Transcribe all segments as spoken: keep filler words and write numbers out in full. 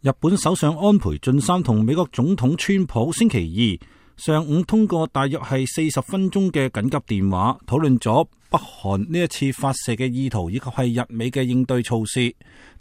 日本首相安倍晉三同美國總統川普星期二上午通過大約係四十分鐘嘅緊急電話，討論咗北韓呢一次發射嘅意圖以及係日美嘅應對措施。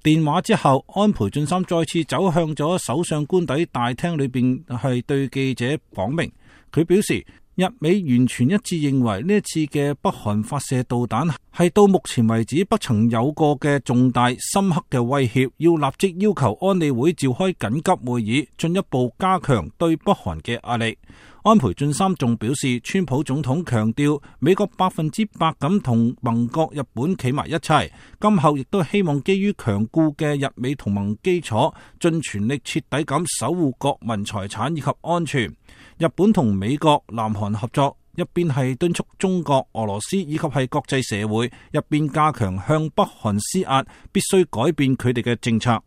電話之後，安倍晉三再次走向咗首相官邸大廳裏邊，係對記者講明，佢表示日美完全一致認為呢一次嘅北韓發射導彈係到目前為止不曾有過嘅重大深刻嘅威脅，要立即要求安理會召開緊急會議，進一步加強對北韓嘅壓力。安倍晉三仲表示，川普總統強調美國百分之百咁同盟國日本企埋一齊，今後亦都希望基於強固嘅日美同盟基礎，盡全力徹底咁守護國民財產以及安全。日本同美國、南韓合作，一邊係敦促中國、俄羅斯以及係國際社會，一邊加強向北韓施壓，必須改變佢哋嘅政策。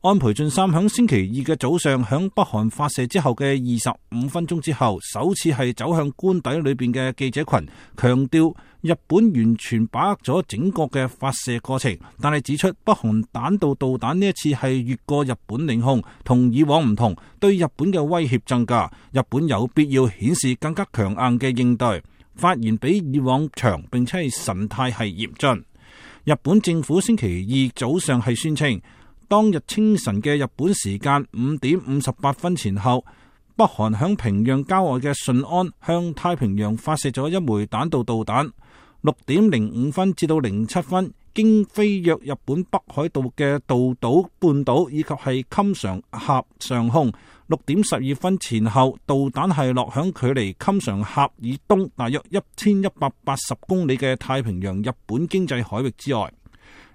安倍晉三響星期二嘅早上，響北韓發射之後嘅二十五分鐘之後，首次係走向官邸裏邊嘅記者群，強調日本完全把握咗整個嘅發射過程，但係指出北韓彈道導彈呢一次係越過日本領空，同以往唔同，對日本嘅威脅增加，日本有必要顯示更加強硬嘅應對。發言比以往長，並且係神態係嚴峻。日本政府星期二早上係宣稱，當日清晨嘅日本時間五點五十八分前後，北韓響平壤郊外嘅順安向太平洋發射咗一枚彈道導彈。六點零五分至到零七分，經飛越日本北海道嘅道島半島以及係襟常峽上空。六點十二分前後，導彈係落響距離襟常峽以東大約一千一百八十公里嘅太平洋日本經濟海域之外。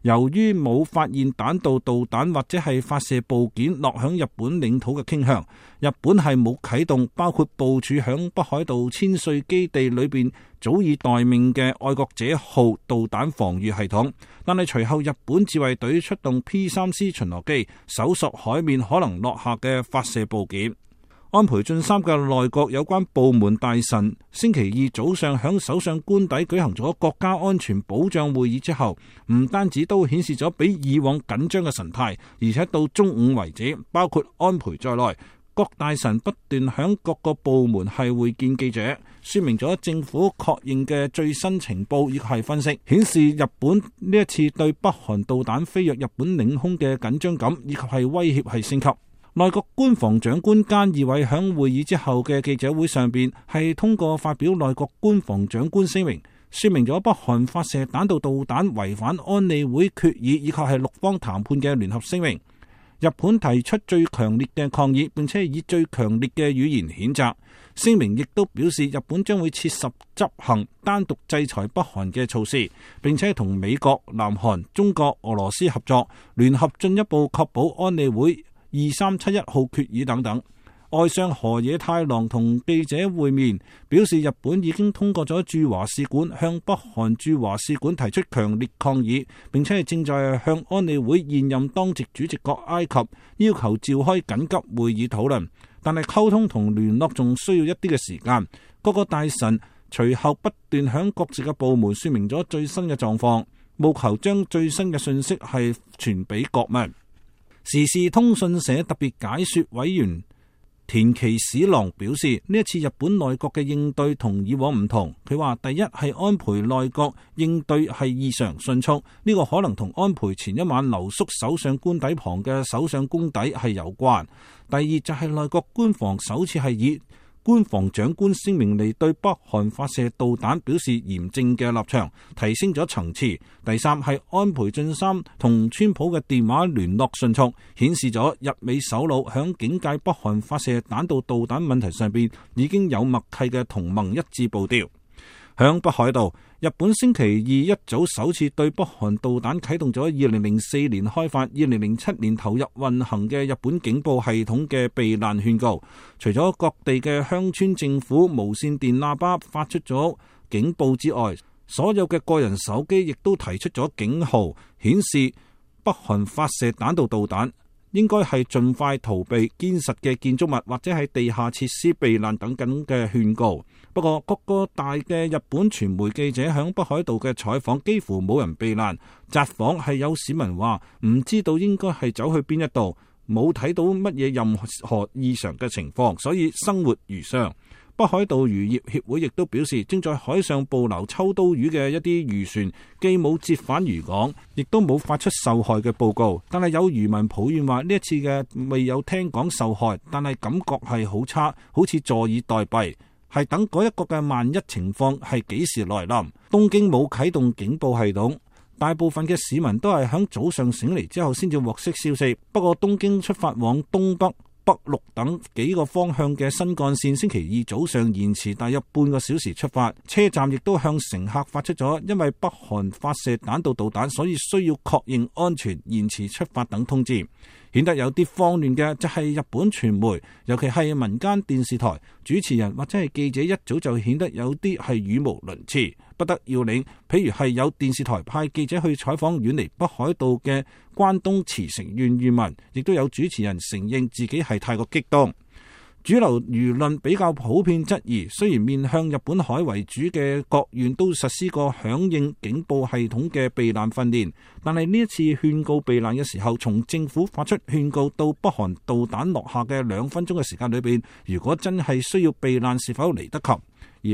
由於冇發現彈道導彈或者係發射部件落響日本領土嘅傾向，日本係冇啟動包括部署響北海道千歲基地裏邊早已待命嘅愛國者號導彈防禦系統。但係隨後日本自衛隊出動 P 三 C 巡邏機搜索海面可能落下嘅發射部件。安倍晉三嘅內閣有關部門大臣星期二早上響首相官邸舉行咗國家安全保障會議之後，唔單止都顯示咗比以往緊張嘅神態，而且到中午為止，包括安倍在內，各大臣不斷響各個部門係會見記者，說明咗政府確認嘅最新情報以及係分析，顯示日本呢一次對北韓導彈飛越日本領空嘅緊張感以及係威脅係升級。內閣官房長官菅義偉響會議之後嘅記者會上邊係通過發表內閣官房長官聲明，說明咗北韓發射彈道導彈違反安理會決議以及係六方談判嘅聯合聲明。日本提出最強烈嘅抗議，並且以最強烈嘅語言譴責。聲明亦都表示日本將會切實執行單獨制裁北韓嘅措施，並且同美國、南韓、中國、俄羅斯合作，聯合進一步確保安理會二三七一號決議等等。外相河野太郎同記者會面，表示日本已經通過咗駐華使館向北韓駐華使館提出強烈抗議，並且係正在向安理會現任當值主席國埃及要求召開緊急會議討論，但係溝通同聯絡仲需要一啲嘅時間。各個大臣隨後不斷向各自嘅部門說明咗最新嘅狀況，務求將最新嘅信息係傳俾國民。時事通訊社特別解說委員田崎史郎表示，呢一次日本內閣嘅應對同以往唔同。佢話第一係安倍內閣應對係異常迅速，呢個可能同安倍前一晚留宿首相官邸旁嘅首相公邸係有關。第二就係內閣官房首次係以官房長官聲明嚟對北韓發射導彈表示嚴正嘅立場，提升咗層次。第三係安倍晉三同川普嘅電話聯絡迅速，顯示咗日美首腦響警戒北韓發射彈道導彈問題上邊已經有默契嘅同盟一致步調。響北海道，日本星期二一早首次對北韓導彈啟動咗二零零四年開發、二零零七年投入運行嘅日本警報系統嘅避難勸告。除咗各地嘅鄉村政府無線電喇叭發出咗警報之外，所有嘅個人手機亦都提出咗警號，顯示北韓發射彈道導彈應該係盡快逃避堅實嘅建築物或者係地下設施避難等等嘅勸告。不過各個大嘅日本傳媒記者響北海道嘅採訪幾乎冇人避難，札幌係有市民話唔知道應該係走去邊一度，冇睇到乜嘢任何異常嘅情況，所以生活如常。北海道漁業協會亦都表示，正在海上捕撈秋刀魚嘅一啲漁船，既冇折返漁港，亦都冇發出受害嘅報告。但係有漁民抱怨話，呢一次嘅未有聽講受害，但係感覺係好差，好似坐以待斃，係等嗰一個嘅萬一情況係幾時來臨。東京冇啟動警報系統，大部分嘅市民都係響早上醒嚟之後先至獲悉消息。不過東京出發往東北、北陸等幾個方向嘅新幹線星期二早上延遲大約半個小時出發，車站亦都向乘客發出咗因為北韓發射彈道導彈，所以需要確認安全延遲出發等通知。顯得有啲慌亂嘅就係日本傳媒，尤其係民間電視台主持人或者係記者，一早就顯得有啲係語無倫次，不得要領。譬如係有電視台派記者去採訪遠離北海道嘅關東茨城縣漁民，亦都有主持人承認自己係太過激動。主流輿論比較普遍質疑，雖然面向日本海為主嘅各縣都實施過響應警報系統嘅避難訓練，但係呢一次勸告避難嘅時候，從政府發出勸告到北韓導彈落下嘅兩分鐘嘅時間裏邊，如果真係需要避難，是否嚟得及？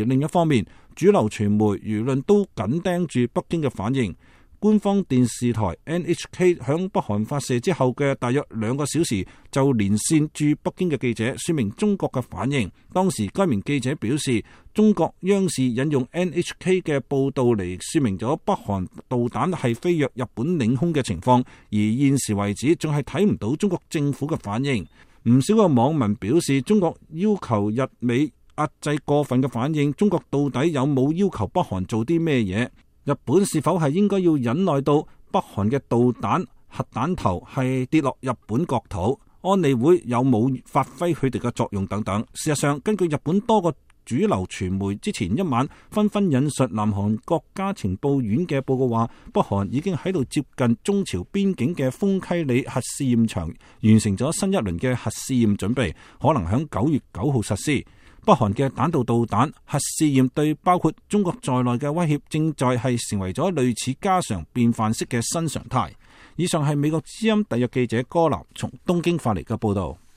而另一方面，主流傳媒輿論都緊盯住北京嘅反應。官方電視台 N H K 響北韓發射之後嘅大約兩個小時，就連線駐北京嘅記者，說明中國嘅反應。當時該名記者表示，中國央視引用 N H K 嘅報道嚟說明咗北韓導彈係飛越日本領空嘅情況，而現時為止仲係睇唔到中國政府嘅反應。唔少個網民表示，中國要求日美壓制過分嘅反應，中國到底有冇要求北韓做啲咩嘢？日本是否係應該要忍耐到北韓嘅導彈核彈頭係跌落日本國土？安理會有冇發揮佢哋嘅作用等等？事實上，根據日本多個主流傳媒之前一晚紛紛引述南韓國家情報院嘅報告話，北韓已經喺度接近中朝邊境嘅豐溪里核試驗場完成咗新一輪嘅核試驗準備，可能喺九月九號實施。北韓嘅彈道導彈核試驗對包括中國在內嘅威脅，正在係成為咗類似家常便飯式嘅新常態。以上係美國之音特約記者柯南從東京發嚟嘅報道。